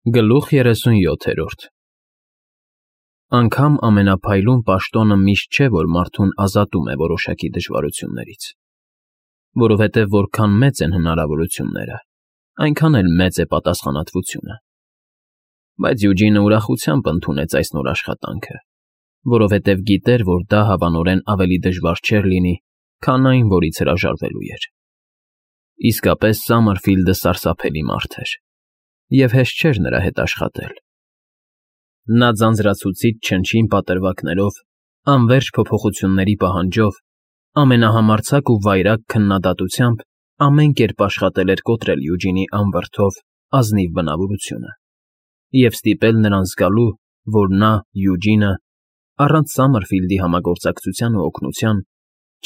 Գլուխ 37 Անգամ ամենափայլուն պաշտոնը միշտ չէ, որ մարդուն ազատում է որոշակի դժվարություններից, որովհետև որքան մեծ են հնարավորությունները, այնքան էլ մեծ է պատասխանատվությունը։ Բայց Յուջինը ուրախությամբ ընդունեց այս նոր աշխատանքը, որովհետև գիտեր, որ դա հավանորեն ավելի դժվար չէր լինի, քան այն, որից հրաժարվելու էր։ Իսկապես Սամերֆիլդը սարսափելի մարդ էր, և հեշտ չէր նրա հետ աշխատել։ Նա ձանձրացուցիչ չնչին պատրվակներով, անվերջ փոփոխությունների պահանջով, ամենահամարձակ ու վայրագ քննադատությամբ ամեն կերպ աշխատել էր կոտրել Յուջինի անվրդով, ազնիվ բնավորությունը և ստիպել նրան զգալու, որ նա, Յուջինը, առանց Սամերֆիլդի համագործակցության ու օգնության,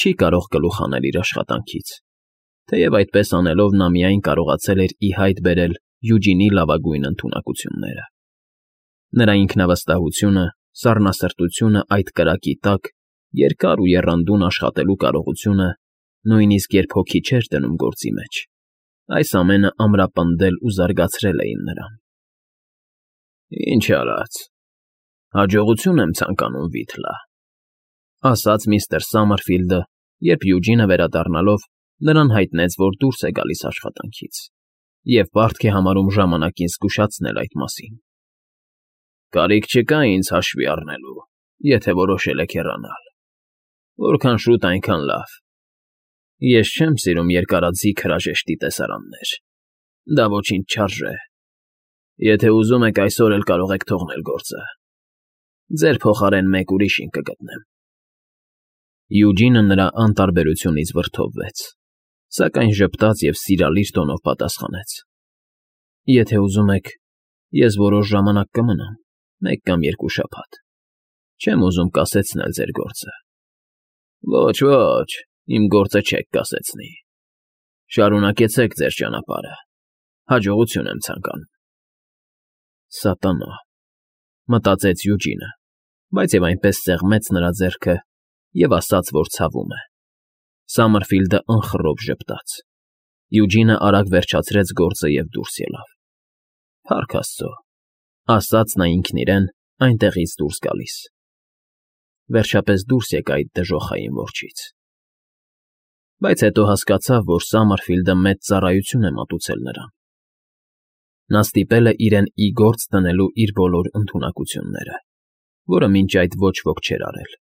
չի կարող գլուխ հանել իր աշխատանքից, թեև այդպես անելով նա միայն կարողացել էր ի հայտ բերել Յուջինի լավագույն ընդունակությունները։ Նրա ինքնավստահությունը, սառնասրտությունը այդ կրակի տակ, երկար ու եռանդուն աշխատելու կարողությունը, նույնիսկ երբ հոգի չէր դնում գործի մեջ, այս ամենը ամրապնդել ու զարգացրել էին նրան։ «Ինչ արած, հաջողություն եմ ցանկանում, Վիթլա», ասաց միստր Սամերֆիլդը, երբ Յուջինը վերադառնալով նրան հայտնեց, որ դուրս է գալիս աշխատանքից, և պարտք է համարում ժամանակին զգուշացնել այդ մասին։ «Կարիք չկա ինձ հաշվի առնելու, եթե որոշել եք հեռանալ։ Որքան շուտ, այնքան լավ։ Ես չեմ սիրում երկարաձիգ հրաժեշտի տեսարաններ, դա ոչինչ չարժե։ Եթե ուզում եք, այսօր էլ կարող եք թողնել գործը։ Ձեր փոխարեն մեկ ուրիշին կգտնեմ»։ Յուջինը նրա անտարբերությունից վրդովվեց, սակայն ժպտաց և սիրալիր տոնով պատասխանեց. «Եթե ուզում եք, ես որոշ ժամանակ կմնամ, մեկ կամ երկու շաբաթ։ Չեմ ուզում կասեցնել ձեր գործը»։ Ոչ, իմ գործը չեք կասեցնի։ Շարունակեցեք ձեր ճանապարհը, հաջողություն եմ ցանկանում։ Սատանա, մտածեց Յուջինը, բայց և այնպես սեղմեց նրա ձեռքը և ասաց, որ ցավում է։ Սամերֆիլդը անխռով ժպտաց։ Յուջինը արագ վերջացրեց գործը և դուրս ելավ։ Փառք Աստծո, ասաց նա ինքն իրեն, այնտեղից դուրս գալիս։ Վերջապես դուրս եկա այդ դժոխային որջից։ Բայց հետո հասկացավ, որ Սամերֆիլդը մեծ ծառայություն է մատուցել նրան։ Նա ստիպել է իրեն ի գործ դնելու իր բոլոր ընդունակությունները, որը մինչ այդ ոչ ոք չէր արել։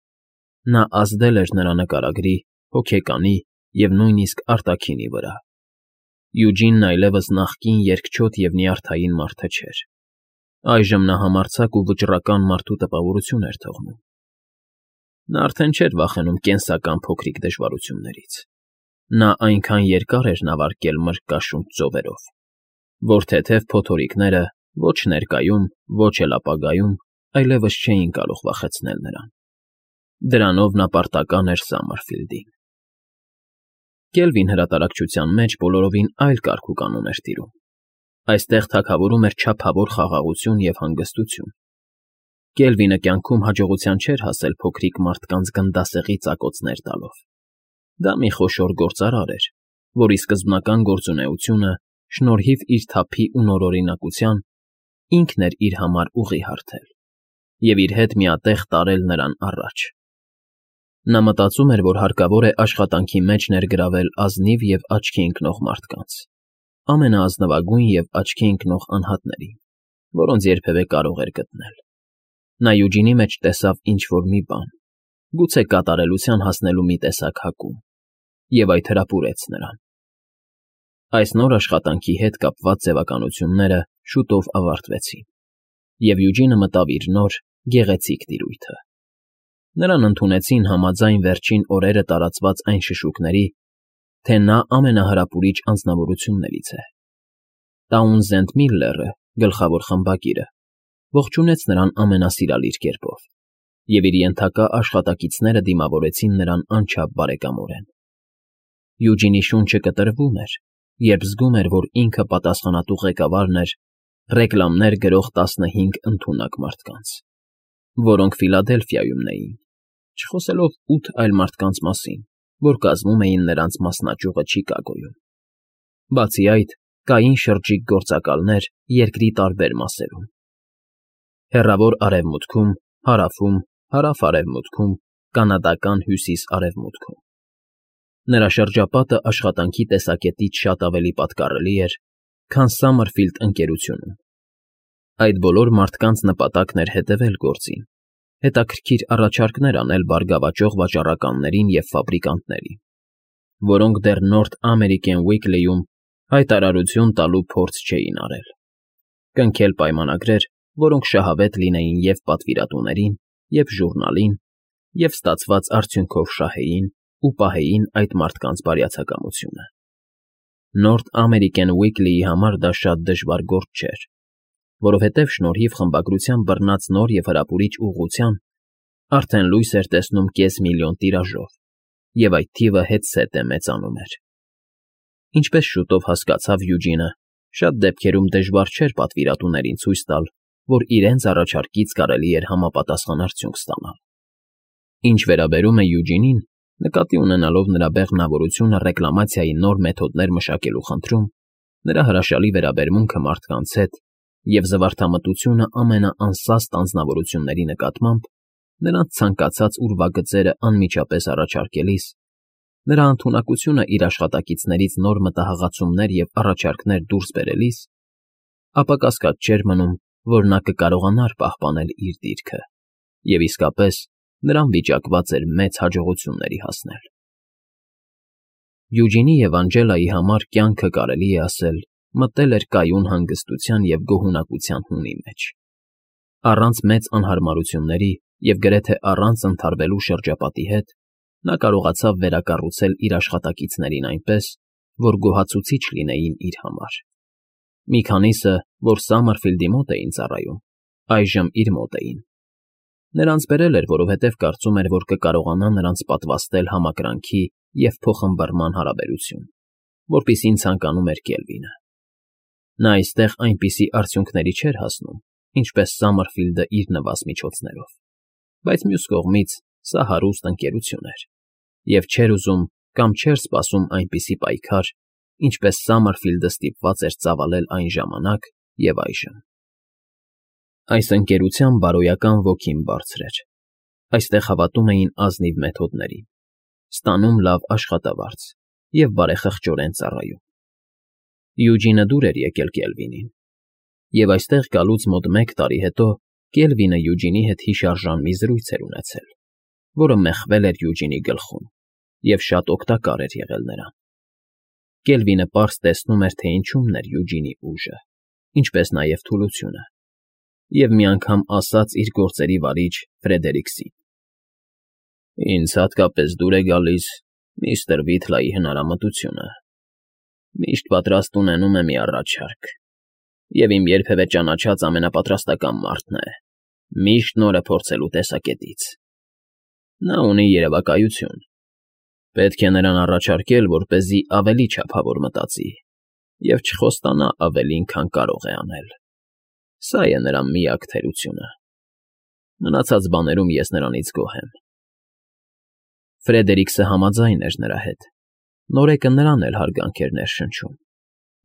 Նա ազդել էր նրա նկարագրի, հոգեկանի և նույնիսկ արտաքինի վրա։ Յուջինն այլևս նախկին երկչոտ և նյարդային մարդը չէր։ Այժմ նա համարձակ ու վճռական մարդու տպավորություն էր թողնում։ Նա արդեն չէր վախենում կենսական փոքրիկ դժվարություններից։ Նա այնքան երկար էր նավարկել մրրկաշունչ ծովերով, որ թեթև փոթորիկները ոչ ներկայում, ոչ էլ ապագայում այլևս չէին կարող վախեցնել նրան։ Դրանով նա պարտական էր Սամերֆիլդին։ Կելվին հրատարակչության մեջ բոլորովին այլ կարգ ու կանոն էր տիրում։ Այստեղ թագավորում էր չափավոր խաղաղություն և հանգստություն։ Կելվինը կյանքում հաջողության չէր հասել փոքրիկ մարդկանց գնդասեղի ծակոցներ տալով։ Դա մի խոշոր գործարար էր, որի սկզբնական գործունեությունը, շնորհիվ իր թափի ու նորօրինակության, ինքն էր իր համար ուղի հարթել և իր հետ միատեղ տարել նրան առաջ։ Նա մտածում էր, որ հարկավոր է աշխատանքի մեջ ներգրավել ազնիվ և աչքի ընկնող մարդկանց, ամենաազնվագույն և աչքի ընկնող անհատներին, որոնց երբևէ կարող էր գտնել։ Նա Յուջինի մեջ տեսավ ինչ֊որ մի բան, գուցե կատարելության հասնելու մի տեսակ հակում, և այդ հրապուրեց նրան։ Այս նոր աշխատանքի հետ կապված ձևականությունները շուտով ավարտվեցին, և Յուջինը մտավ իր նոր, գեղեցիկ տիրույթը։ Նրան ընդունեցին համաձայն վերջին օրերը տարածված այն շշուկների, թե նա ամենահրապուրիչ անձնավորություններից է։ Տաունզենդ Միլլերը, գլխավոր խմբագիրը, ողջունեց նրան ամենասիրալիր կերպով, և իր ենթակա աշխատակիցները դիմավորեցին նրան անչափ բարեկամորեն։ Յուջինի շունչը կտրվում էր, երբ զգում էր, որ ինքը պատասխանատու ղեկավարն էր ռեկլամներ գրող 15 ընդունակ մարդկանց, որոնք Ֆիլադելֆիայումն էին, չխոսելով 8 այլ մարդկանց մասին, որ կազմում էին նրանց մասնաճյուղը Չիկագոյում։ Բացի այդ, կային շրջիկ գործակալներ երկրի տարբեր մասերում. հեռավոր արևմուտքում, հարավում, հարավ-արևմուտքում, կանադական հյուսիս-արևմուտքում։ Նրա շրջապատը աշխատանքի տեսակետից շատ ավելի պատկառելի էր, քան Սամմերֆիլդ ընկերությունում։ Այդ բոլոր մարդկանց նպատակն էր հետևել գործին, հետաքրքիր առաջարկներ անել բարգավաճող վաճառականներին և ֆաբրիկանտներին, որոնք դեռ North American Weekly-ում հայտարարություն տալու փորձ չէին արել, կնքել պայմանագրեր, որոնք շահավետ լինեին և պատվիրատուներին, և ժուռնալին, և ստացված արդյունքով շահեին ու պահեին այդ մարդկանց բարյացակամությունը։ North American Weekly-ի համար դա շատ դժվար գործ չէր, որովհետև շնորհիվ խմբագրության բռնած նոր և հրապուրիչ ուղղության արդեն լույս էր տեսնում 500,000 տիրաժով, և այդ թիվը հետզհետե մեծանում էր։ Ինչպես շուտով հասկացավ Յուջինը, շատ դեպքերում դժվար չէր պատվիրատուներին ցույց տալ, որ իրենց առաջարկից կարելի էր համապատասխան արդյունք ստանալ։ Ինչ վերաբերում է Յուջինին, նկատի ունենալով նրա բեղմնավորությունը ռեկլամացիայի նոր մեթոդներ մշակելու խնդրում, նրա հրաշալի վերաբերմունքը մարդկանց հետ և զվարթամտությունը ամենաանսաստ անձնավորությունների նկատմամբ, նրանց ցանկացած ուրվագծերը անմիջապես առաջարկելիս, նրա ընդունակությունը իր աշխատակիցներից նոր մտահղացումներ և առաջարկներ դուրս բերելիս, ապա կասկած չէր մնում, որ նա կկարողանար պահպանել իր դիրքը և իսկապես նրան վիճակված էր մեծ հաջողությունների հասնել։ Յուջինի և Անջելայի համար կյանքը, կարելի է ասել, մտել էր կայուն հանգստության և գոհունակության հունի մեջ։ Առանց մեծ անհարմարությունների և գրեթե առանց ընդհարվելու շրջապատի հետ նա կարողացավ վերակառուցել իր աշխատակիցներին այնպես, որ գոհացուցիչ լինեին իր համար։ Մի քանիսը, որ Սամմերֆիլդի մոտ էին ծառայում, այժմ իր մոտ էին։ Նրանց բերել էր, որովհետև կարծում էր, որ կկարողանա նրանց պատվաստել համակրանքի և փոխըմբռնման հարաբերություն, որպիսին ցանկանում էր Կելվինը։ Նա այստեղ այնպիսի արդյունքների չէր հասնում, ինչպես Սամմերֆիլդը իր նվազ միջոցներով, բայց մյուս կողմից սա հարուստ ընկերություն էր, և չէր ուզում կամ չէր սպասում այնպիսի պայքար, ինչպես Սամմերֆիլդը ստիպված էր ծավալել այն ժամանակ և այժմ։ Այս ընկերության բարոյական ոգին բարձր էր։ Այստեղ հավատում էին ազնիվ մեթոդներին, ստանում լավ աշխատավարձ և բարեխղճորեն ծառայում։ Յուջինը դուր էր եկել Կելվինին, և այստեղ գալուց մոտ 1 տարի հետո Կելվինը Յուջինի հետ հիշարժան մի զրույց էր ունեցել, որը մեխվել էր Յուջինի գլխում և շատ օգտակար էր եղել նրան։ Կելվինը պարզ տեսնում էր, թե ինչումն էր Յուջինի ուժը, ինչպես նաև թուլությունը, և մի անգամ ասաց իր գործերի վարիչ Ֆրեդերիկսին. «Ինձ հատկապես դուր է գալիս միստր Վիթլայի հնարամտությունը։ Միշտ պատրաստ ունենում է մի առաջարկ, և իմ երբևէ ճանաչած ամենապատրաստական մարդն է, միշտ նորը փորձելու տեսակետից։ Նա ունի երևակայություն։ Պետք է նրան առաջարկել, որպեսզի ավելի չափավոր մտածի և չխոստանա ավելին, քան կարող է անել։ Սա է նրա միակ թերությունը։ Մնացած բաներում ես նրանից գոհ եմ»։ Ֆրեդերիկսը համաձայն էր նրա հետ։ Նորեկը նրան էլ հարգանք էր ներշնչում։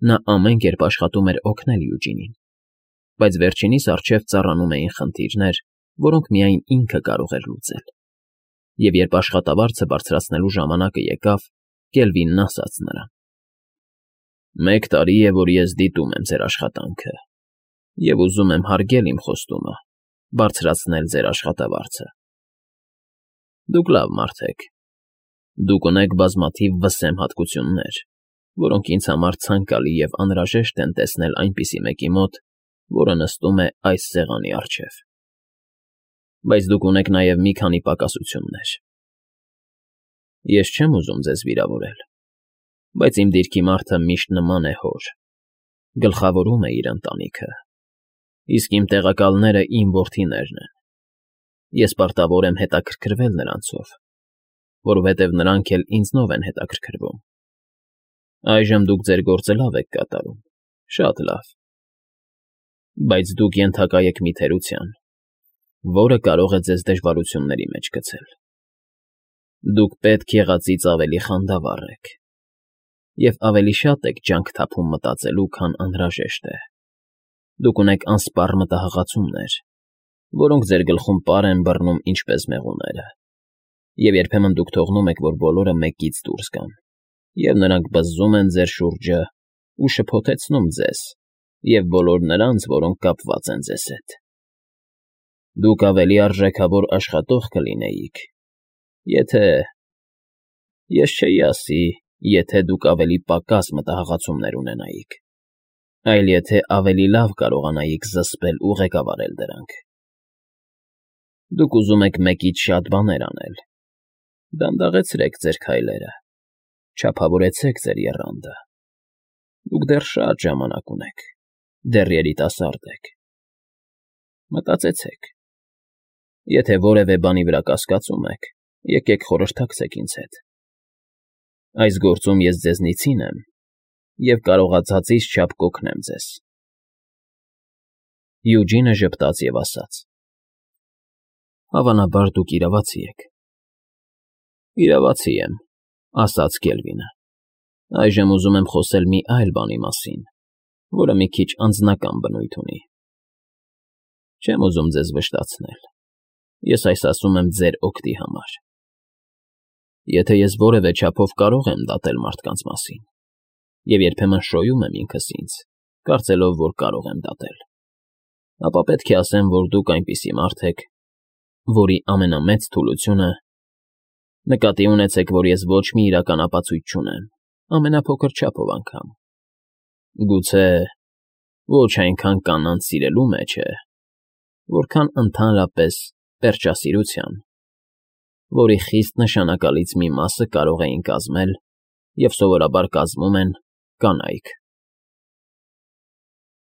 Նա ամեն կերպ աշխատում էր օգնել Յուջինին, բայց վերջինիս առջև ծառանում էին խնդիրներ, որոնք միայն ինքը կարող էր լուծել։ Եվ երբ աշխատավարձը բարձրացնելու ժամանակը եկավ, Կելվինն ասաց նրան. «1 տարի է, որ ես դիտում եմ ձեր աշխատանքը, և ուզում եմ հարգել իմ խոստումը, բարձրացնել ձեր աշխատավարձը։ Դուք լավ մարդ եք։ Դուք ունեք բազմաթիվ վսեմ հատկություններ, որոնք ինձ համար ցանկալի և անհրաժեշտ են տեսնել այնպիսի մեկի մոտ, որը նստում է այս սեղանի առջև։ Բայց դուք ունեք նաև մի քանի պակասություններ։ Ես չեմ ուզում ձեզ վիրավորել, բայց իմ դիրքի մարդը միշտ նման է հոր, գլխավորում է իր ընտանիքը, իսկ իմ տեղակալները իմ որդիներն են։ Ես պարտավոր եմ հետաքրքրվել նրանցով, որովհետև նրանք էլ ինձնով են հետաքրքրվում։ Այժմ դուք ձեր գործը լավ եք կատարում, շատ լավ, բայց դուք ենթակա եք մի թերության, որը կարող է ձեզ դժվարությունների մեջ գցել։ Դուք պետք եղածից ավելի խանդավառ եք։ Եվ ավելի շատ եք ջանք թափում մտածելու, քան անհրաժեշտ է։ Դուք ունեք անսպառ մտահղացումներ, որոնք ձեր գլխում պար են բռնում ինչպես մեղուները, և երբեմն դուք թողնում եք, որ բոլորը մեկից դուրս գան, և նրանք բզզում են ձեր շուրջը ու շփոթեցնում ձեզ և բոլոր նրանց, որոնք կապված են ձեզ հետ։ Դուք ավելի արժեքավոր աշխատող կլինեիք, եթե… Ես չէի ասի, եթե դուք ավելի պակաս մտահղացումներ ունենայիք, այլ եթե ավելի լավ կարողանայիք զսպել ու ղեկավարել դրանք։ Դուք ուզում եք մեկից շատ բաներ անել։ Դանդաղեցրեք ձեր քայլերը, չափավորեցեք ձեր եռանդը։ Դուք դեռ շատ ժամանակ ունեք, դեռ երիտասարդ եք։ Մտածեցեք։ Եթե որևէ բանի վրա կասկածում եք, եկեք խորհրդակցեք ինձ հետ։ Այս գործում ես ձեզնից հին եմ և կարողացածիս չափ կօգնեմ ձեզ։ Յուջինը ժպտաց և ասաց. Հավանաբար դուք իրավացի եք։ Իրավացի եմ, ասաց Կելվինը։ Այժմ ուզում եմ խոսել մի այլ բանի մասին, որը մի քիչ անձնական բնույթ ունի։ Չեմ ուզում ձեզ վշտացնել։ Ես այս ասում եմ ձեր օգտի համար։ Եթե ես որևէ չափով կարող եմ դատել մարդկանց մասին, և երբեմն շոյում եմ ինքս ինձ, կարծելով, որ կարող եմ դատել, ապա պետք է ասեմ, որ դուք այնպիսի մարդ եք, որի ամենամեծ թուլությունը… Նկատի ունեցեք, որ ես ոչ մի իրական ապացույց չունեմ, ամենափոքր չափով անգամ։ Գուցե ոչ այնքան կանանց սիրելու մեջ է, որքան ընդհանրապես պերճասիրության, որի խիստ նշանակալից մի մասը կարող էին կազմել և սովորաբար կազմում են կանայք։